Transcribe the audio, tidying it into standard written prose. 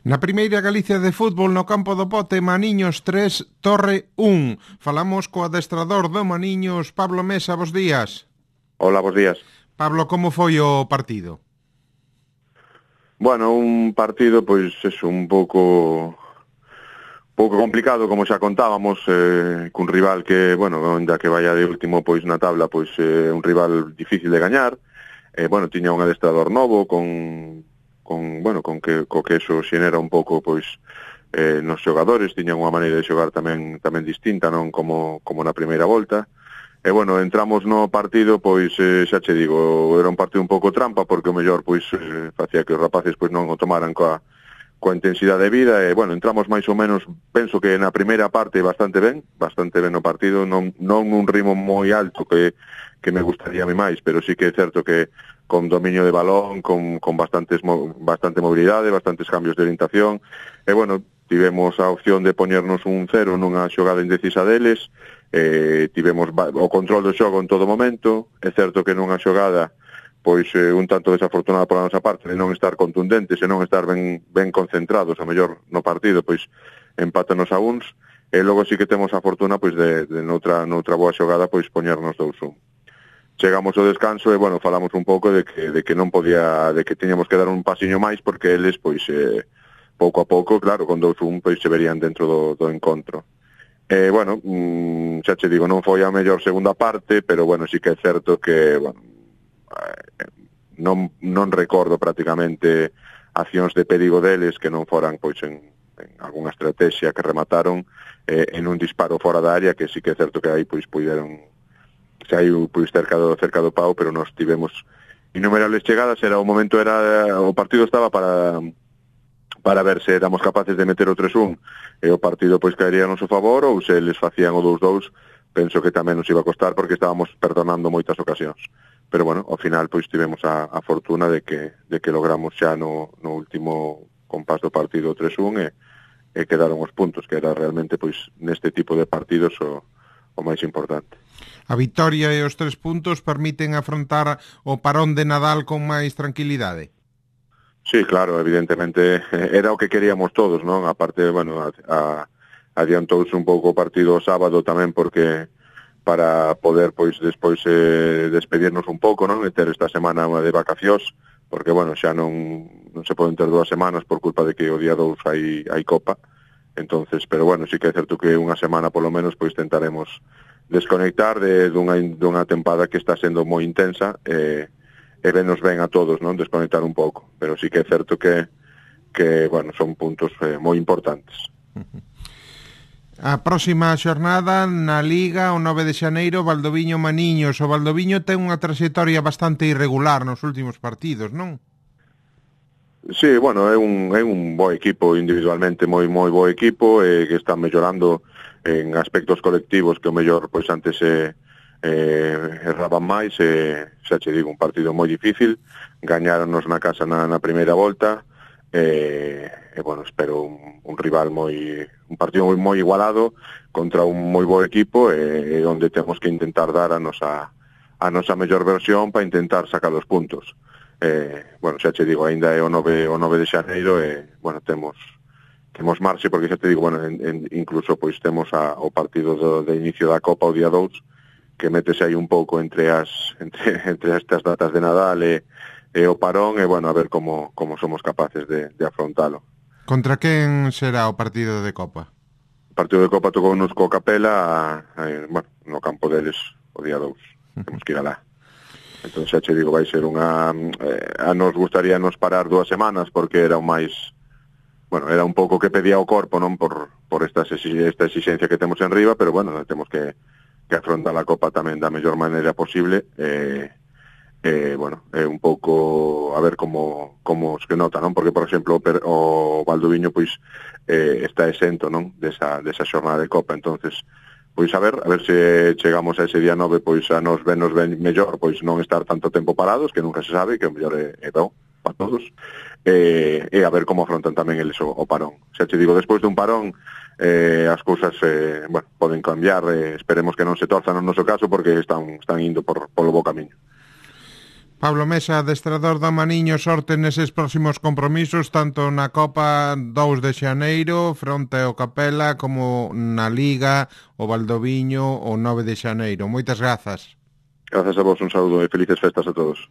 Na primeira Galicia de fútbol no campo do Pote, Maniños 3, Torre 1. Falamos co adestrador do Maniños, Pablo Mesa, bos días. Hola, bos días. Pablo, como foi o partido? Bueno, un partido, pois, é un pouco complicado, como xa contábamos, cun rival que, bueno, onde que vaya de último pois na tabla, pois un rival difícil de gañar. Bueno, tiña un adestrador novo co que eso xenera un pouco pois nos xogadores, tiñan unha maneira de xogar tamén distinta, non como na primeira volta. Bueno, entramos no partido, pois xa che digo, era un partido un pouco trampa porque o mellor pois facía que os rapaces pois non o tomaran coa intensidade de vida e, bueno, entramos máis ou menos, penso que na primeira parte bastante ben no partido, non nun ritmo moi alto que me gustaría a mí máis, pero sí que é certo que con dominio de balón, con bastante mobilidade, bastantes cambios de orientación, e, bueno, tivemos a opción de poñernos un 0 nunha xogada indecisa deles, tivemos o control do xogo en todo momento, é certo que nunha xogada pois un tanto desafortunada pola nosa parte de non estar contundentes e non estar ben concentrados, a mellor no partido, pois empátanos a uns, e logo sí que temos a fortuna pois de noutra boa xogada pois poñernos 2-1. Chegamos ao descanso e, bueno, falamos un pouco de que non podía, de que tiñamos que dar un pasiño máis porque eles pois pouco a pouco, claro, con 2-1 pois se verían dentro do encontro. Bueno, xa che digo, non foi a mellor segunda parte, pero, bueno, sí que é certo que, bueno, non recordo prácticamente accións de perigo deles que non foran pois en algunha estrategia que remataron en un disparo fora da área, que sí que é certo que aí pois puideron saiu pois cerca do pau, pero nos tivemos innumerables chegadas, o partido estaba para ver se éramos capaces de meter o 3-1 e o partido pois caería a noso favor, ou se eles facían o 2-2, penso que tamén nos iba a costar porque estábamos perdonando moitas ocasións. Pero, bueno, ao final pois tivemos a fortuna de que logramos xa no último compás do partido 3-1 e quedaron os puntos, que era realmente pois neste tipo de partidos o máis importante. A vitoria e os 3 puntos permiten afrontar o parón de Nadal con máis tranquilidade? Sí, claro, evidentemente era o que queríamos todos, non? A parte, bueno, adiantouse un pouco o partido o sábado tamén porque para poder, pois, despois despedirnos un pouco, non? E ter esta semana de vacacións, porque, bueno, xa non se poden ter 2 semanas por culpa de que o día 2 hai Copa. Entonces, pero, bueno, sí que é certo que unha semana, polo menos, pois, tentaremos desconectar dunha tempada que está sendo moi intensa e venos ben a todos, non? Desconectar un pouco. Pero sí que é certo que bueno, son puntos moi importantes. A próxima xornada na Liga, o 9 de xaneiro, Valdoviño Maniños. O Valdoviño ten unha trayectoria bastante irregular nos últimos partidos, non? Sí, bueno, é un bo equipo individualmente, moi bo equipo, que está mellorando en aspectos colectivos que o mellor pois antes erraban máis, xa che digo, un partido moi difícil, gañáronos na casa na primeira volta, bueno, espero un rival un partido moi igualado contra un moi bo equipo onde temos que intentar dar a nosa mellor versión para intentar sacar os puntos. Bueno, xa che digo, ainda é o 9 de xaneiro bueno, temos marxe porque xa te digo, bueno, incluso pois temos o partido de inicio da Copa o día 2 que metese aí un pouco entre estas datas de Nadal e o parón, e, bueno, a ver como somos capaces de afrontalo. Contra quen será o partido de Copa? O partido de Copa tocounos co Capela, bueno, no campo deles o día 2. Temos que ir alá. Entón, xa che digo, vai ser nos gustaría nos parar 2 semanas porque era o máis, bueno, era un pouco que pedía o corpo, non, por esta exigencia que temos en riba, pero, bueno, temos que afrontar a Copa tamén da mellor maneira posible, bueno, é un pouco a ver como se nota, non? Porque, por exemplo, o Valdoviño pois está exento, non? Desa xornada de Copa, entonces pois a ver se chegamos a ese día 9 pois a nos ben mellor, pois non estar tanto tempo parados, que nunca se sabe, que o mellor é bo para todos, e a ver como afrontan tamén eles o parón. Xa te digo, despois dun parón as cousas bueno, poden cambiar, esperemos que non se torzan no noso caso porque están indo polo bo camiño. Pablo Mesa, adestrador do Maniño, sorte neses próximos compromisos, tanto na Copa 2 de Xaneiro, fronte ao Capela, como na Liga, o Valdoviño, o 9 de Xaneiro. Moitas grazas. Grazas a vos, un saúdo e felices festas a todos.